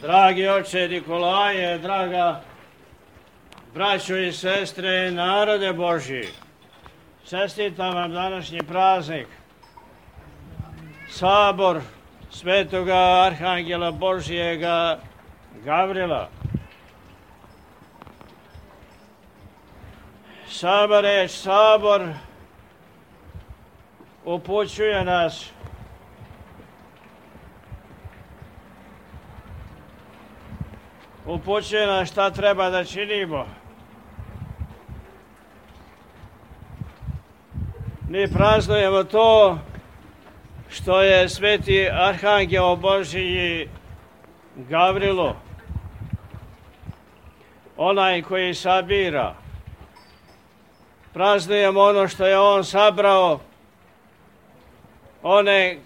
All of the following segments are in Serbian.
Dragi oče Nikolaje, draga braćo i sestre, narode Božji, čestitam vam današnji praznik, sabor svetoga arhangela Božjega Gavrila. Sama reč sabor upućuje nas šta treba da činimo. Mi praznujemo to što je sveti arhangel Božji Gavrilo, onaj koji sabira. Praznujemo ono što je on sabrao, one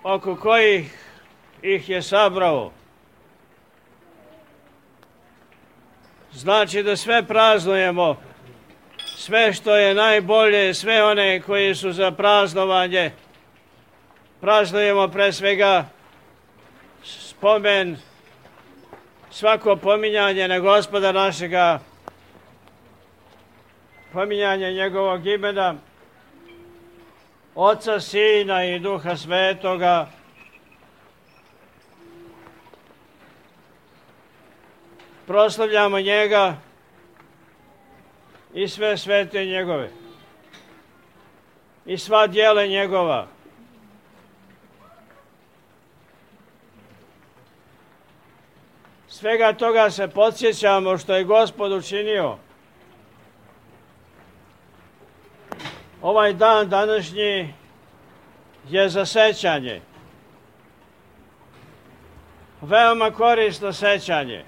oko kojih ih je sabrao. Znači da sve praznujemo, sve što je najbolje, sve one koji su za praznovanje. Praznujemo pre svega spomen, svako pominjanje na Gospoda našega, pominjanje njegovog imena, Oca, Sina i Duha Svetoga. Proslavljamo njega i sve svete njegove i sva djela njegova. Svega toga se podsjećamo što je Gospod učinio. Ovaj dan današnji je za sećanje. Veoma korisno sećanje.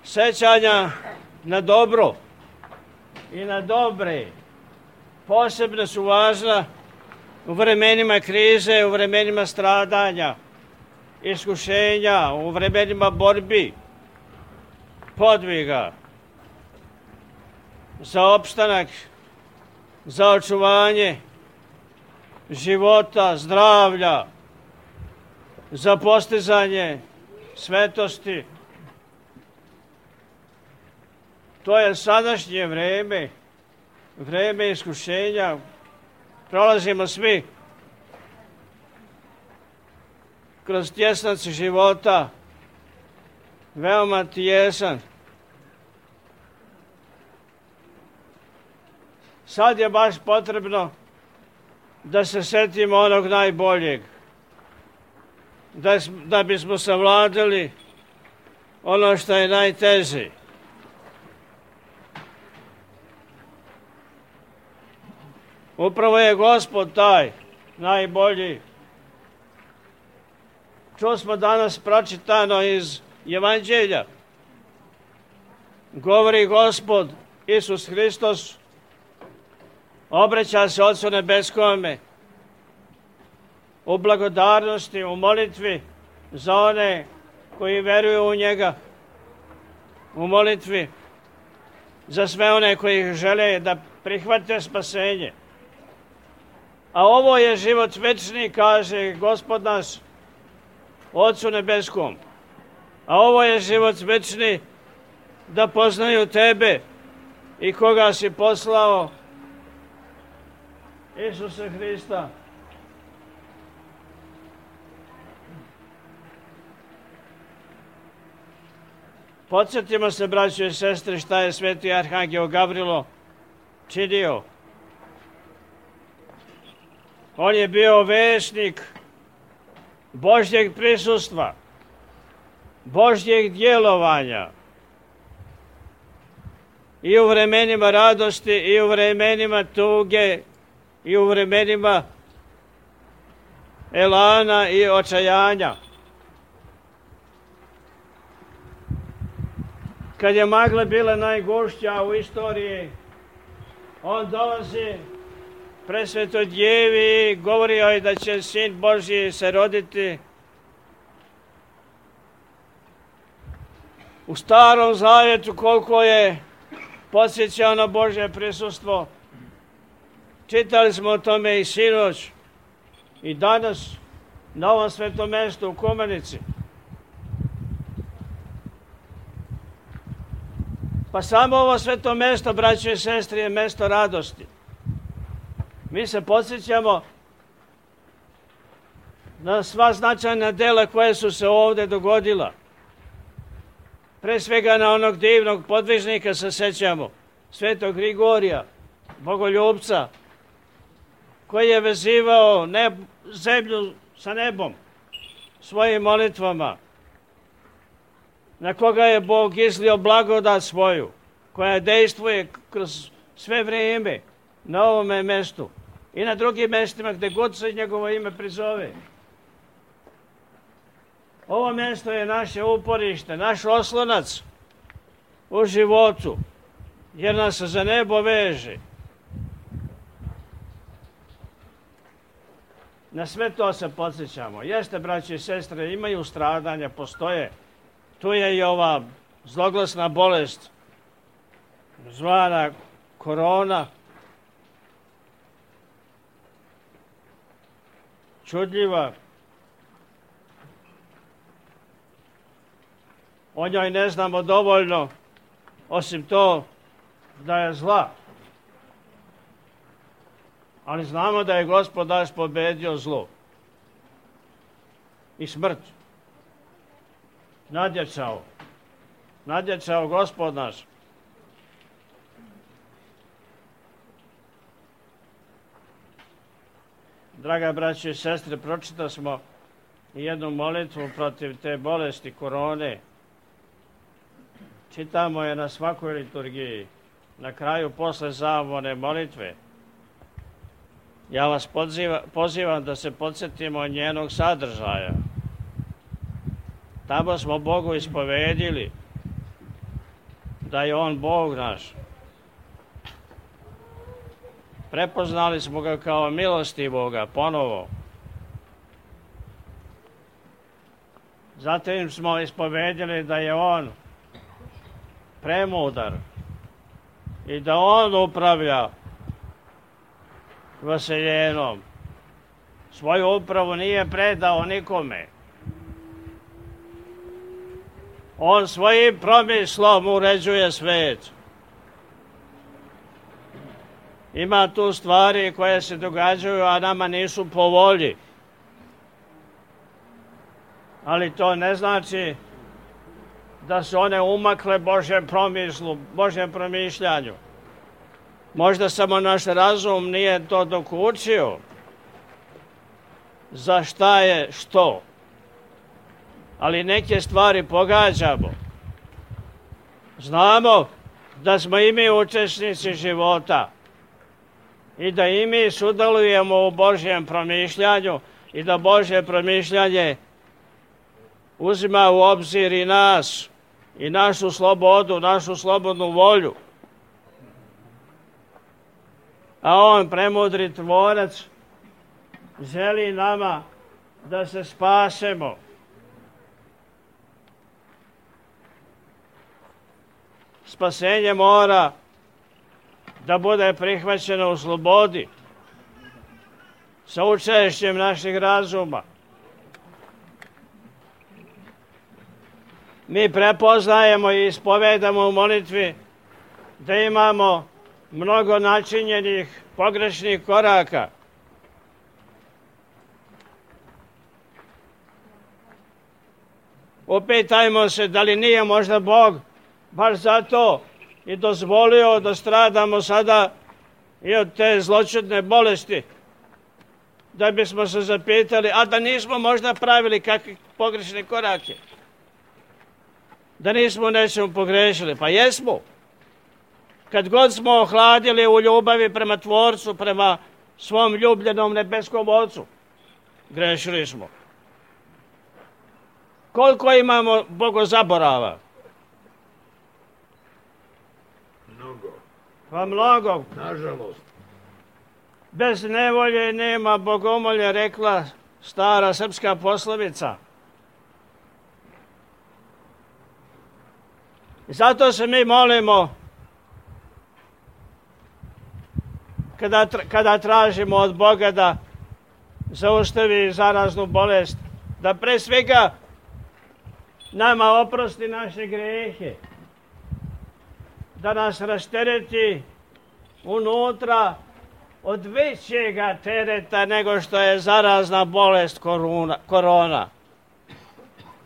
Sećanja na dobro i na dobre posebno su važna u vremenima krize, u vremenima stradanja, iskušenja, u vremenima borbi, podviga, za opstanak, za očuvanje života, zdravlja, za postizanje svetosti. To je sadašnje vreme, vreme iskušenja. Prolazimo svi kroz tjesnac života, veoma tjesan. Sad je baš potrebno da se setimo onog najboljeg, da bismo savladali ono što je najteže. Upravo je Gospod taj najbolji. Čuo smo danas pročitano iz Evanđelja. Govori Gospod Isus Hristos, obraća se Otcu Nebeskome u blagodarnosti, u molitvi za one koji veruju u njega, u molitvi za sve one koji žele da prihvate spasenje. A ovo je život večni, kaže Gospod naš Otcu Nebeskom. A ovo je život večni, da poznaju tebe i koga si poslao, Isusa Hrista. Podsjetimo se, braćo i sestre, šta je sveti arhangel Gavrilo činio. On je bio vešnik Božjeg prisustva, Božjeg djelovanja i u vremenima radosti, i u vremenima tuge, i u vremenima elana i očajanja. Kad je magla bila najgušća u istoriji, on dolazi presvetoj djevi, govorio je da će Sin Božji se roditi. U Starom Zavjetu koliko je podsjećao na Božje prisustvo. Čitali smo o tome i sinoć i danas na ovom svetom mjestu u Kumanici. Pa samo ovo sveto mesto, braćo i sestre, je mesto radosti. Mi se podsjećamo na sva značajna dela koje su se ovdje dogodila. Pre svega na onog divnog podvižnika se sećamo, svetog Grigorija, bogoljubca, koji je vezivao zemlju sa nebom svojim molitvama, na koga je Bog izlio blagodat svoju, koja dejstvuje kroz sve vrijeme na ovome mestu i na drugim mestima gdje god se njegovo ime prizove. Ovo mjesto je naše uporište, naš oslonac u životu, jer nas za nebo veže. Na sve to se podsjećamo. Jeste, braći i sestre, imaju stradanja, postoje. Tu je i ova zloglasna bolest, zvana korona, čudljiva. O njoj ne znamo dovoljno, osim to da je zla. Ali znamo da je Gospod naš pobedio zlo i smrt. Nadjačao Gospod naš. Draga braćo i sestre, pročitali smo i jednu molitvu protiv te bolesti korone. Čitamo je na svakoj liturgiji, na kraju posle zamolne molitve. Ja vas pozivam da se podsjetimo njenog sadržaja. Tamo smo Bogu ispovedili da je On Bog naš. Prepoznali smo ga kao milostivoga ponovo. Zatim smo ispovedili da je On premudar i da On upravlja vaseljenom. Svoju upravu nije predao nikome. On svojim promislom uređuje svijet. Ima tu stvari koje se događaju, a nama nisu po volji. Ali to ne znači da su one umakle Božjem promislu, Božjem promišljanju. Možda samo naš razum nije to dokučio. Za šta je što? Ali neke stvari pogađamo. Znamo da smo i mi učesnici života i da i mi sudjelujemo u Božjem promišljanju i da Božje promišljanje uzima u obzir i nas i našu slobodu, našu slobodnu volju. A On, premudri tvorac, želi nama da se spasemo. Spasenje mora da bude prihvaćeno u slobodi, sa učešćem naših razuma. Mi prepoznajemo i ispovedamo u molitvi da imamo mnogo načinjenih pogrešnih koraka. Upitajmo se da li nije možda Bog baš zato i dozvolio da stradamo sada i od te zloćudne bolesti, da bismo se zapitali, a da nismo možda pravili kakve pogrešne korake, da nismo nečemu pogrešili. Pa jesmo. Kad god smo ohladili u ljubavi prema Tvorcu, prema svom ljubljenom nebeskom Ocu, grešili smo. Koliko imamo bogozaborava? Mnogo. Pa mnogo. Nažalost. Bez nevolje nema bogomolje, rekla stara srpska poslovica. I zato se mi molimo kada tražimo od Boga da zaustavi zaraznu bolest, da pre svega nama oprosti naše grehe, da nas rastereti unutra od većega tereta nego što je zarazna bolest korona.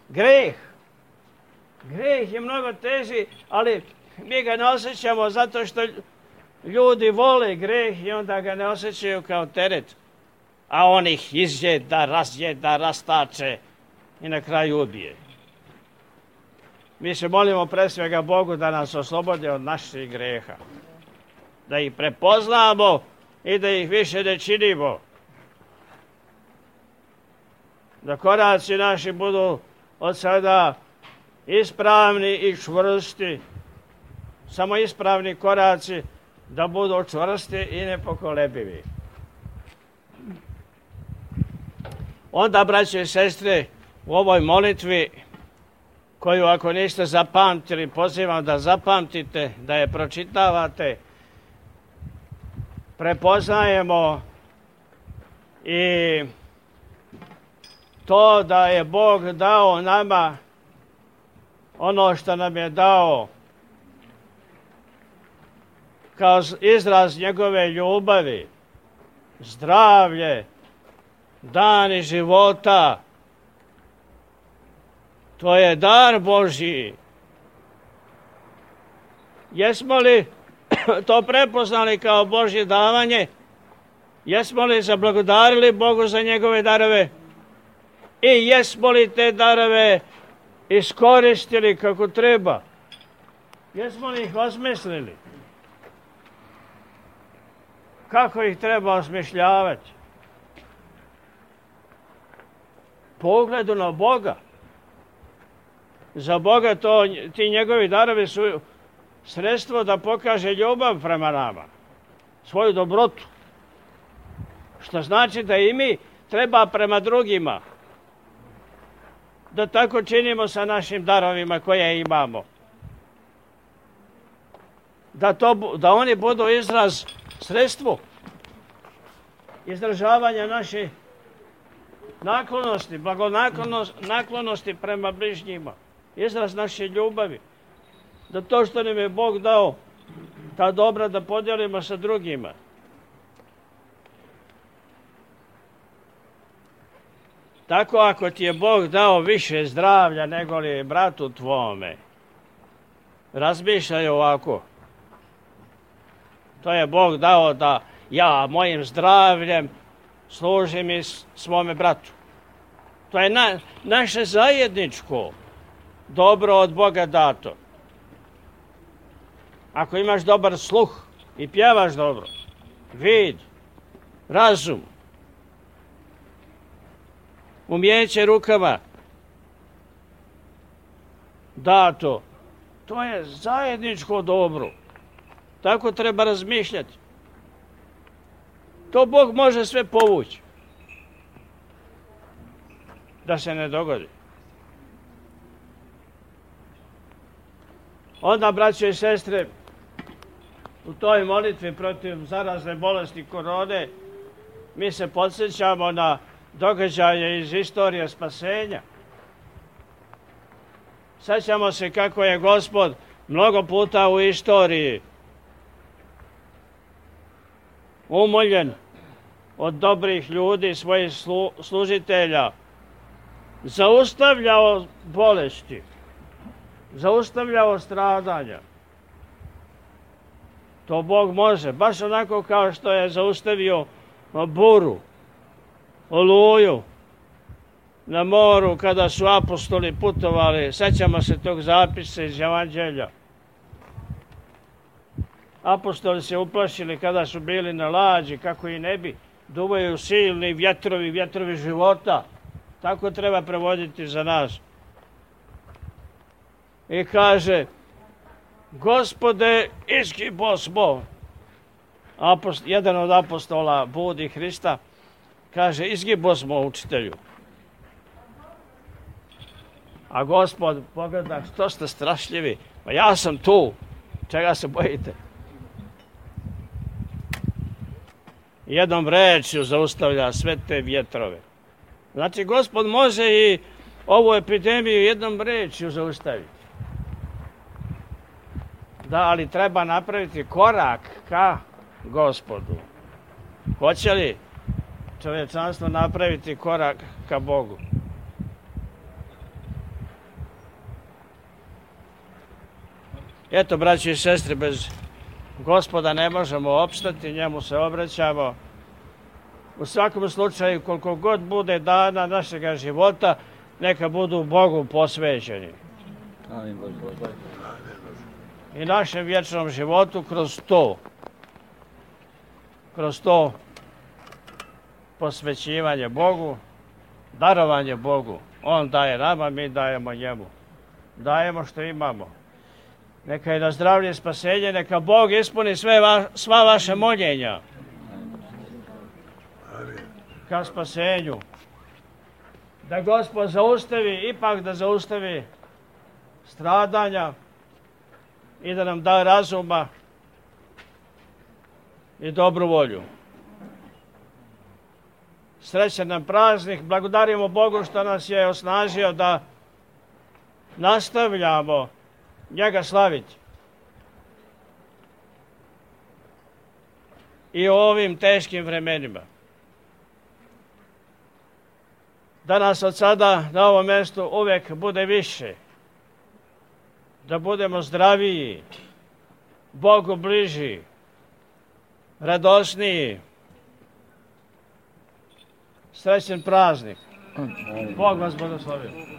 Greh je mnogo teži, ali mi ga ne osjećamo zato što ljudi vole greh i onda ga ne osjećaju kao teret. A on ih izjeda, razjeda, rastače i na kraju ubije. Mi se molimo pre svega Bogu da nas oslobode od naših greha. Da ih prepoznamo i da ih više ne činimo. Da koraci naši budu od sada ispravni i čvrsti. Samo ispravni koraci da budu čvrsti i nepokolebivi. Onda, braće i sestre, u ovoj molitvi, koju ako niste zapamtili, pozivam da zapamtite, da je pročitavate, prepoznajemo i to da je Bog dao nama ono što nam je dao kao izraz njegove ljubavi, zdravlje, dani života. To je dar Božji. Jesmo li to prepoznali kao Božje davanje? Jesmo li zablagodarili Bogu za njegove darove? I jesmo li te darove iskoristili kako treba? Jesmo li ih osmislili? Kako ih treba osmišljavati? Pogledu na Boga. Za Boga ti njegovi darovi su sredstvo da pokaže ljubav prema nama, svoju dobrotu. Što znači da i mi treba prema drugima da tako činimo sa našim darovima koje imamo. Da oni budu izraz, sredstvo izražavanja naše naklonosti, blagonaklonosti prema bližnjima. Izraz naše ljubavi. Da to što nam je Bog dao, ta dobra da podijelimo sa drugima. Tako ako ti je Bog dao više zdravlja nego li bratu tvome, razmišljaj ovako. To je Bog dao da ja mojim zdravljem služim i svome bratu. To je naše zajedničko dobro od Boga dato. Ako imaš dobar sluh i pjevaš dobro, vid, razum, umijeće rukama dato, to je zajedničko dobro. Tako treba razmišljati. To Bog može sve povući. Da se ne dogodi. Onda, braće i sestre, u toj molitvi protiv zarazne bolesti korone, mi se podsjećamo na događaje iz istorije spasenja. Sjećamo se kako je Gospod mnogo puta u istoriji umoljen od dobrih ljudi, svojih služitelja, zaustavljao bolesti, zaustavljao stradanja. To Bog može, baš onako kao što je zaustavio buru, oluju na moru kada su apostoli putovali. Sjećamo se tog zapisa iz Evanđelja. Apostoli se uplašili kada su bili na lađi, kako i ne bi. Duvaju silni vjetrovi života. Tako treba prevoditi za nas. I kaže, Gospode, izgibosmo. Jedan od apostola budi Hrista, kaže, izgibosmo, učitelju. A Gospod pogleda, što ste strašljivi? Pa ja sam tu, čega se bojite? Jednom rečju zaustavlja sve te vjetrove. Znači, Gospod može i ovu epidemiju jednom rečju zaustaviti. Da, ali treba napraviti korak ka Gospodu. Hoće li čovječanstvo napraviti korak ka Bogu? Eto, braći i sestre, bez Gospoda ne možemo opstati, njemu se obraćamo. U svakom slučaju, koliko god bude dana našega života, neka budu Bogu posvećeni. Amin Bože. I našem vječnom životu kroz to posvećivanje Bogu, darovanje Bogu. On daje nama, mi dajemo njemu. Dajemo što imamo. Neka je na zdravlje i spasenje, neka Bog ispuni sva vaše moljenja ka spasenju. Da Gospod ipak da zaustavi stradanja i da nam da razuma i dobru volju. Srećan nam praznik, blagodarimo Bogu što nas je osnažio da nastavljamo njega slaviti. I u ovim teškim vremenima. Da nas od sada na ovom mjestu uvijek bude više. Da budemo zdraviji, Bogu bliži, radosniji. Srećan praznik. Bog vas blagoslovi.